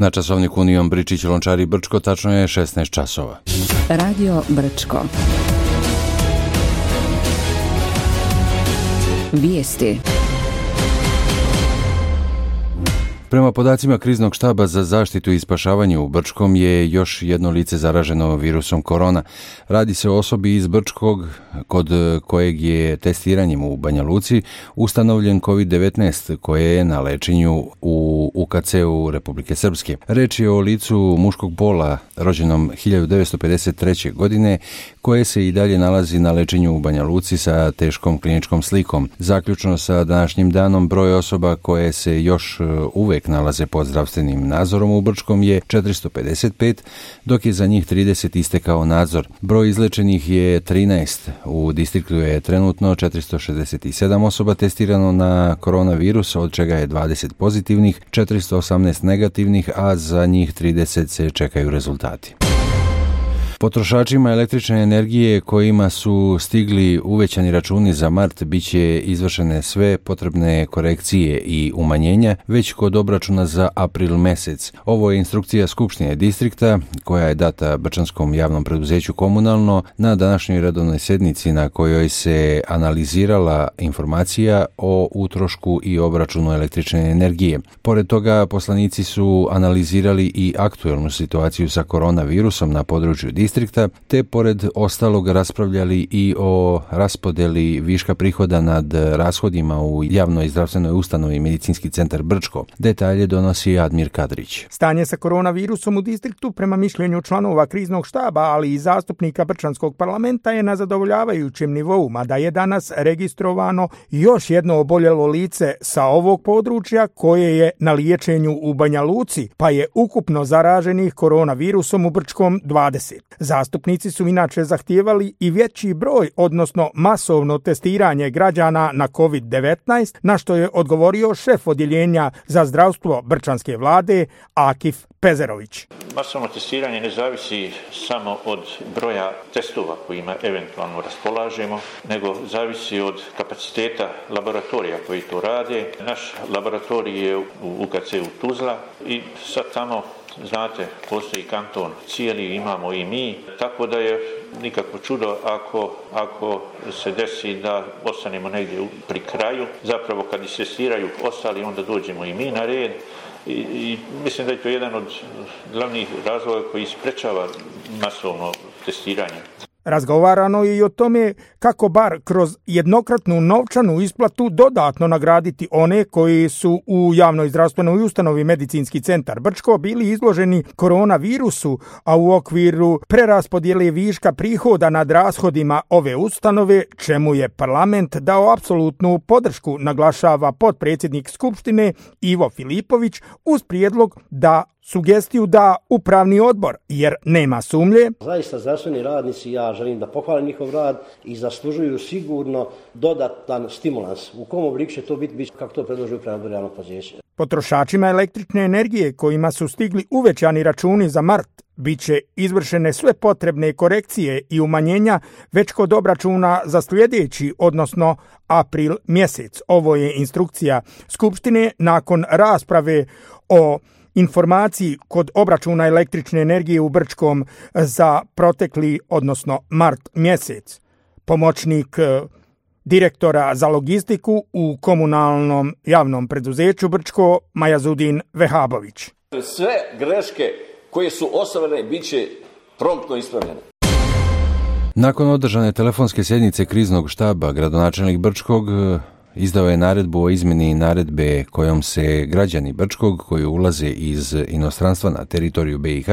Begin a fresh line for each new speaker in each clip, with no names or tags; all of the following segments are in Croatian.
Na časovniku Union Bričić Lončari Brčko tačno je 16 časova.
Radio Brčko. Vijesti.
Prema podacima Kriznog štaba za zaštitu i spašavanje u Brčkom je još jedno lice zaraženo virusom korona. Radi se o osobi iz Brčkog kod kojeg je testiranjem u Banja Luci ustanovljen COVID-19 koje je na lečenju u UKC-u Republike Srpske. Reč je o licu muškog pola rođenom 1953. godine koje se i dalje nalazi na lečenju u Banja Luci sa teškom kliničkom slikom. Zaključno sa današnjim danom broj osoba koje se još uvek nalaze pod zdravstvenim nadzorom u Brčkom je 455, dok je za njih 30 istekao nadzor. Broj izlečenih je 13. U distriktu je trenutno 467 osoba testirano na koronavirus, od čega je 20 pozitivnih, 418 negativnih, a za njih 30 se čekaju rezultati. Potrošačima električne energije kojima su stigli uvećani računi za mart biće izvršene sve potrebne korekcije i umanjenja već kod obračuna za april mesec. Ovo je instrukcija Skupštine distrikta koja je data Brčanskom javnom preduzeću Komunalno na današnjoj redovnoj sednici na kojoj se analizirala informacija o utrošku i obračunu električne energije. Pored toga, poslanici su analizirali i aktuelnu situaciju sa koronavirusom na području distrikta, te pored ostalog raspravljali i o raspodeli viška prihoda nad rashodima u javnoj zdravstvenoj ustanovi Medicinski centar Brčko. Detalje donosi Admir Kadrić.
Stanje sa koronavirusom u distriktu prema mišljenju članova kriznog štaba, ali i zastupnika Brčanskog parlamenta je na zadovoljavajućem nivou, mada je danas registrovano još jedno oboljelo lice sa ovog područja koje je na liječenju u Banja Luci, pa je ukupno zaraženih koronavirusom u Brčkom 20. Zastupnici su inače zahtijevali i veći broj, odnosno masovno testiranje građana na COVID-19, na što je odgovorio šef odjeljenja za zdravstvo Brčanske vlade Akif Pezerović.
Masovno testiranje ne zavisi samo od broja testova kojima eventualno raspolažemo, nego zavisi od kapaciteta laboratorija koji to rade. Naš laboratorij je u UKC-u Tuzla i sad tamo, znate, postoji kanton cijeli, imamo i mi, tako da je nikakvo čudo ako se desi da ostanemo negdje pri kraju. Zapravo kad istestiraju ostali, onda dođemo i mi na red. I mislim da je to jedan od glavnih razloga koji sprečava masovno testiranje.
Razgovarano je i o tome kako bar kroz jednokratnu novčanu isplatu dodatno nagraditi one koji su u javnoj zdravstvenoj ustanovi Medicinski centar Brčko bili izloženi koronavirusu, a u okviru preraspodjele viška prihoda nad rashodima ove ustanove, čemu je parlament dao apsolutnu podršku, naglašava potpredsjednik Skupštine Ivo Filipović uz prijedlog sugestiju da upravni odbor, jer nema sumnje.
Zaista zdravstveni radnici, ja želim da pohvalim njihov rad i zaslužuju sigurno dodatan stimulans. U kom obliku će to biti kako to predloži upravni odbor javnog poduzeća. Potrošačima električne energije kojima su stigli uvećani računi za mart bit će izvršene sve potrebne korekcije i umanjenja već kod obračuna za sljedeći, odnosno april mjesec. Ovo je instrukcija Skupštine nakon rasprave o informaciji kod obračuna električne energije u Brčkom za protekli, odnosno mart mjesec. Pomoćnik direktora za logistiku u komunalnom javnom preduzeću Brčko Majazudin Vehabović.
Sve greške koje su ostvarene bit će promptno ispravljene.
Nakon održane telefonske sjednice kriznog štaba, gradonačelnik Brčkog izdao je naredbu o izmjeni naredbe kojom se građani Brčkog koji ulaze iz inostranstva na teritoriju BiH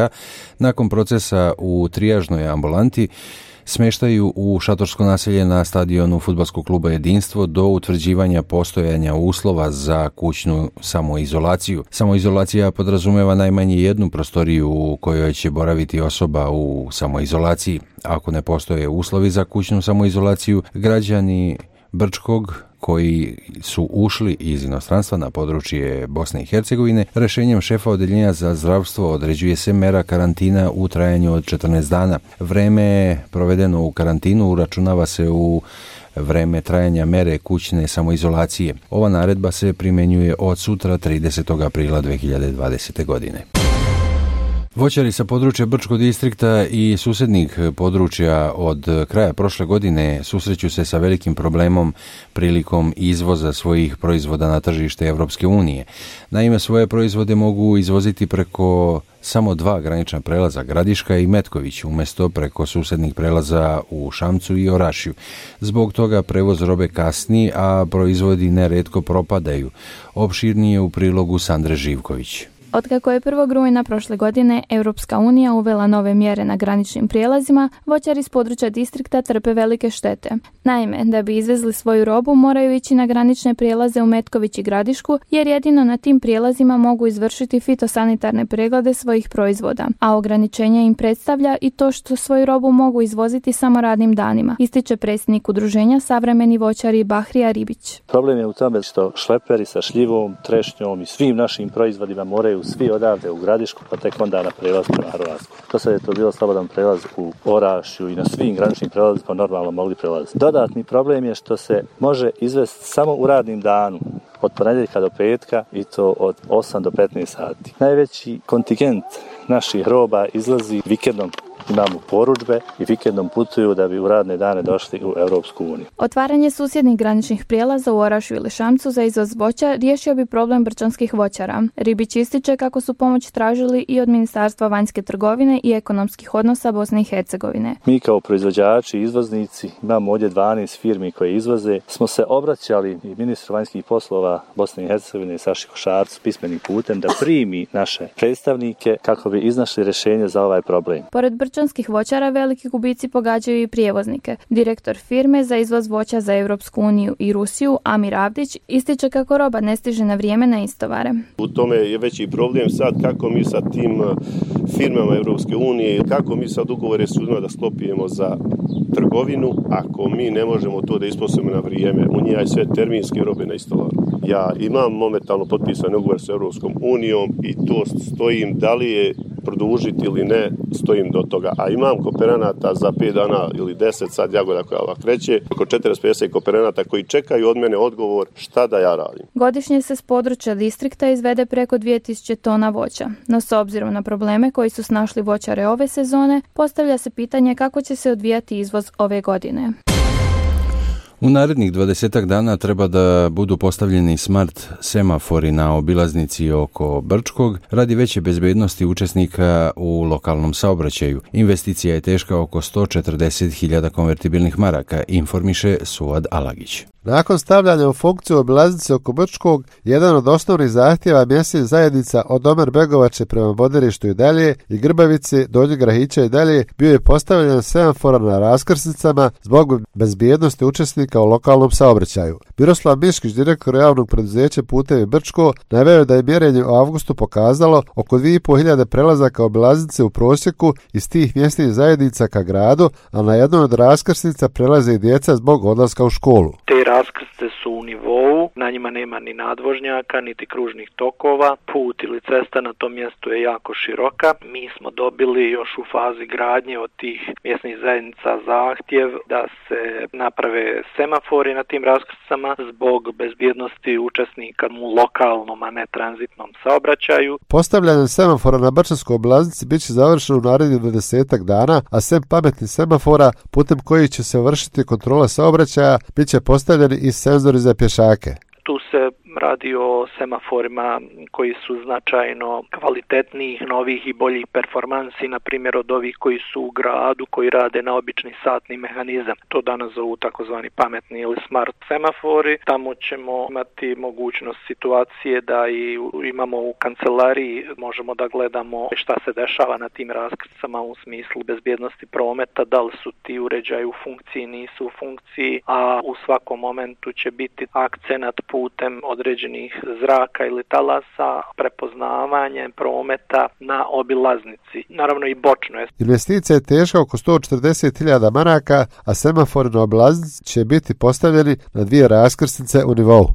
nakon procesa u trijažnoj ambulanti smeštaju u šatorsko naselje na stadionu fudbalskog kluba Jedinstvo do utvrđivanja postojanja uslova za kućnu samoizolaciju. Samoizolacija podrazumeva najmanje jednu prostoriju u kojoj će boraviti osoba u samoizolaciji. Ako ne postoje uslovi za kućnu samoizolaciju, građani Brčkog koji su ušli iz inostranstva na područje Bosne i Hercegovine, rješenjem šefa odjeljenja za zdravstvo određuje se mera karantina u trajanju od 14 dana. Vreme provedeno u karantinu uračunava se u vreme trajanja mere kućne samoizolacije. Ova naredba se primjenjuje od sutra 30. aprila 2020. godine. Voćari sa područja Brčkog distrikta i susjednih područja od kraja prošle godine susreću se sa velikim problemom prilikom izvoza svojih proizvoda na tržište Europske unije. Naime, svoje proizvode mogu izvoziti preko samo 2 granična prelaza, Gradiška i Metković, umjesto preko susjednih prelaza u Šamcu i Orašju. Zbog toga prevoz robe kasni, a proizvodi nerijetko propadaju. Opširnije u prilogu Sandre Živković.
Otkako je 1. rujna prošle godine Europska unija uvela nove mjere na graničnim prijelazima, voćari s područja distrikta trpe velike štete. Naime, da bi izvezli svoju robu moraju ići na granične prijelaze u Metković i Gradišku, jer jedino na tim prijelazima mogu izvršiti fitosanitarne preglede svojih proizvoda, a ograničenje im predstavlja i to što svoju robu mogu izvoziti samo radnim danima, ističe predsjednik udruženja Savremeni voćari Bahrija Ribić.
Problem je u tome što šleperi sa šljivom, trešnjom i svim našim proizvodima moraju svi odavde u Gradišku, pa tek onda na prelaz prema Hrvatsku. Do sada je to bilo slobodan prelaz u Orašju i na svim graničnim prelazima normalno mogli prelaziti. Dodatni problem je što se može izvesti samo u radnim danu, od ponedjeljka do petka i to od 8 do 15 sati. Najveći kontingent naših roba izlazi vikendom. Imamo porudžbe i vikendom putuju da bi u radne dane došli u Europsku uniju.
Otvaranje susjednih graničnih prijelaza u Orašju ili Šamcu za izvoz voća riješio bi problem brčanskih voćara. Ribić ističe kako su pomoć tražili i od Ministarstva vanjske trgovine i ekonomskih odnosa Bosne i Hercegovine.
Mi kao proizvođači i izvoznici, imamo ovdje 12 firmi koje izvoze, smo se obraćali i ministru vanjskih poslova Bosne i Hercegovine Saši Košarcu pismenim putem da primi naše predstavnike kako bi iznašli rješenje za ovaj problem.
Pored brčanskih voćara veliki gubici pogađaju i prijevoznike. Direktor firme za izvoz voća za Europsku uniju i Rusiju, Amir Avdić, ističe kako roba ne stiže na vrijeme na istovare.
U tome je veći problem sad kako mi sa tim firmama Europske unije, kako mi sad ugovore s ljudima da sklopijemo za trgovinu, ako mi ne možemo to da isposobimo na vrijeme, u njih je sve terminske robe na istovaru. Ja imam momentalno potpisan ugovor s Europskom unijom i to stojim, da li je produžiti ili ne, stojim do toga. A imam kooperanata za 5 dana ili 10, sad jagoda koja ovak kreće, oko 40-50 kooperanata koji čekaju od mene odgovor šta da ja radim.
Godišnje se s područja distrikta izvede preko 2000 tona voća. No s obzirom na probleme koji su snašli voćare ove sezone, postavlja se pitanje kako će se odvijati izvoz ove godine.
U narednih 20 dana treba da budu postavljeni smart semafori na obilaznici oko Brčkog radi veće bezbednosti učesnika u lokalnom saobraćaju. Investicija je teška oko 140.000 konvertibilnih maraka, informiše Suad Alagić.
Nakon stavljanja u funkciju obilaznice oko Brčkog, jedan od osnovnih zahtjeva mjesnih zajednica od Omer Begovače prema Boderištu i dalje i Grbavice, Donjeg Grahića i dalje bio je postavljen semafora na raskrsnicama zbog bezbjednosti učesnika u lokalnom saobraćaju. Miroslav Miškić, direktor javnog preduzeća Putevi Brčko, naveo je da je mjerenje u avgustu pokazalo oko 2.500 prelazaka obilaznice u prosjeku iz tih mjesnih zajednica ka gradu, a na jednoj od raskrsnica prelaze i djeca zbog odlaska u školu.
Raskrste su u nivou, na njima nema ni nadvožnjaka, niti kružnih tokova, put ili cesta na tom mjestu je jako široka. Mi smo dobili još u fazi gradnje od tih mjesnih zajednica zahtjev da se naprave semafori na tim raskrstama zbog bezbjednosti učesnika u lokalnom, a ne tranzitnom saobraćaju.
Postavljanje semafora na Brčanskoj obilaznici bit će završeno u narednih 20 dana, a sem pametnih semafora putem kojih će se vršiti kontrola saobraćaja bit će postavljeni i senzori za pješake.
Tu se radi o semaforima koji su značajno kvalitetnijih, novih i boljih performansi, na primjer od ovih koji su u gradu, koji rade na obični satni mehanizam. To danas zovu takozvani pametni ili smart semafori. Tamo ćemo imati mogućnost situacije da i imamo u kancelariji, možemo da gledamo šta se dešava na tim raskrstama u smislu bezbjednosti prometa, da li su ti uređaji u funkciji, nisu u funkciji, a u svakom momentu će biti akcenat putem određenih zraka ili talasa, prepoznavanje prometa na obilaznici. Naravno i bočno je.
Investicija je teška oko 140.000 maraka, a semafori na obilaznici će biti postavljeni na 2 raskrsnice u nivou.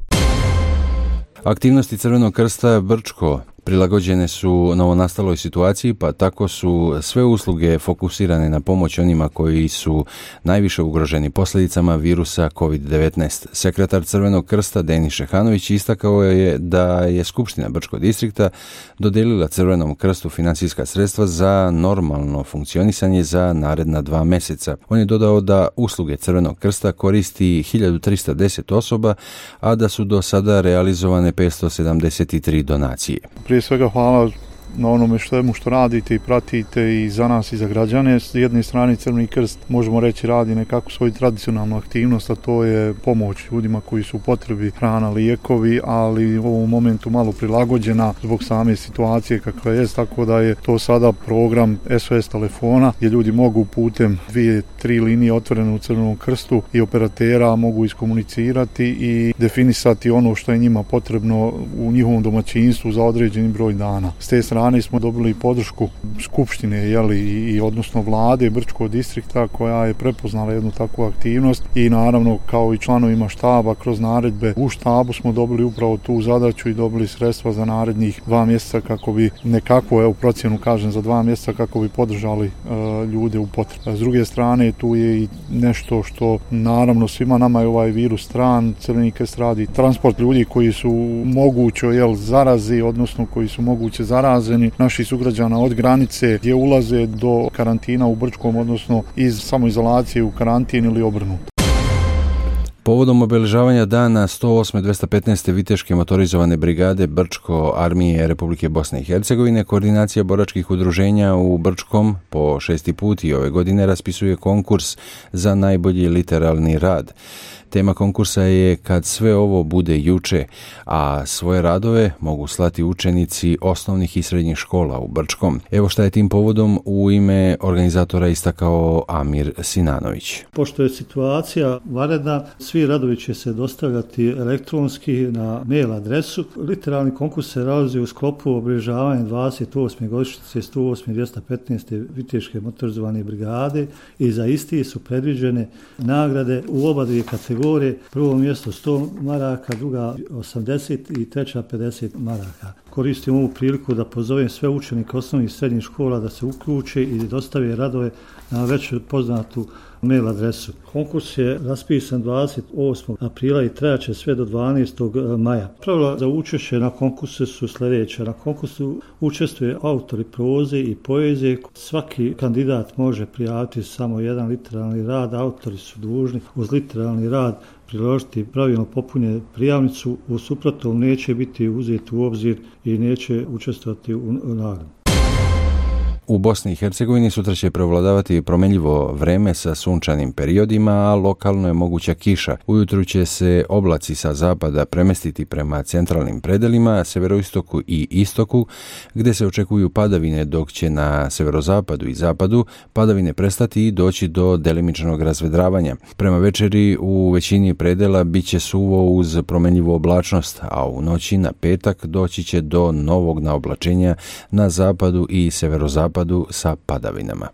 Aktivnosti Crvenog krsta Brčko Prilagođene su novonastaloj situaciji, pa tako su sve usluge fokusirane na pomoć onima koji su najviše ugroženi posljedicama virusa COVID-19. Sekretar Crvenog krsta Denis Šehanović istakao je da je Skupština Brčkog distrikta dodelila Crvenom krstu financijska sredstva za normalno funkcionisanje za naredna 2 mjeseca. On je dodao da usluge Crvenog krsta koristi 1310 osoba, a da su do sada realizovane 573 donacije.
Prije svega hvala na onome što radite i pratite i za nas i za građane. S jedne strane Crveni krst, možemo reći, radi nekako svoju tradicionalnu aktivnost, a to je pomoć ljudima koji su u potrebi, hrana, lijekovi, ali u ovom momentu malo prilagođena zbog same situacije kakva je, tako da je to sada program SOS telefona gdje ljudi mogu putem 2-3 linije otvorene u Crvenom krstu i operatera mogu iskomunicirati i definisati ono što je njima potrebno u njihovom domaćinstvu za određeni broj dana. S te strane smo dobili podršku Skupštine i odnosno vlade Brčkog distrikta koja je prepoznala jednu takvu aktivnost i naravno kao i članovima štaba kroz naredbe u štabu smo dobili upravo tu zadaću i dobili sredstva za narednih 2 mjeseca kako bi nekako, procjenu kažem za 2 mjeseca kako bi podržali ljude u potrebi. S druge strane tu je i nešto što naravno svima nama je ovaj virus stran. Crveni krst radi transport ljudi koji su moguće zarazi, odnosno koji su moguće zaraze naših sugrađana od granice gdje ulaze do karantina u Brčkom, odnosno iz samoizolacije u karantin ili obrnuto.
Povodom obeležavanja dana 108. 215. Viteške motorizovane brigade Brčko armije Republike Bosne i Hercegovine, koordinacija boračkih udruženja u Brčkom po 6. put i ove godine raspisuje konkurs za najbolji literalni rad. Tema konkursa je Kad sve ovo bude juče, a svoje radove mogu slati učenici osnovnih i srednjih škola u Brčkom. Evo šta je tim povodom u ime organizatora istakao Amir Sinanović.
Pošto je situacija vanredna, svi radovi će se dostavljati elektronski na mail adresu. Literalni konkurs se realizuje u sklopu obilježavanja 28. godišnjice 108. 215. Viteške motorizovane brigade i za isti su predviđene nagrade u oba dvije kategorije. Prvo mjesto 100 maraka, druga 80 i treća 50 maraka. Koristim ovu priliku da pozovem sve učenike osnovnih i srednjih škola da se uključe i dostave radove na već poznatu mail adresu. Konkurs je raspisan 28. aprila i trajaće sve do 12. maja. Pravila za učešće na konkursu su sljedeće. Na konkursu učestvuje autori proze i poezije. Svaki kandidat može prijaviti samo jedan literalni rad. Autori su dužni uz literalni rad priložiti pravilno popunjenu prijavnicu, u suprotnom neće biti uzeti u obzir i neće učestvovati u nagradi.
U Bosni i Hercegovini sutra će prevladavati promjenjivo vreme sa sunčanim periodima, a lokalno je moguća kiša. Ujutru će se oblaci sa zapada premestiti prema centralnim predelima, severoistoku i istoku, gdje se očekuju padavine, dok će na severozapadu i zapadu padavine prestati i doći do delimičnog razvedravanja. Prema večeri u većini predela bit će suvo uz promjenjivu oblačnost, a u noći na petak doći će do novog naoblačenja na zapadu i severozapadu sa padavinama.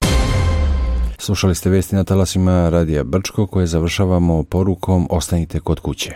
Slušali ste vesti na talasima Radija Brčko koje završavamo porukom ostanite kod kuće.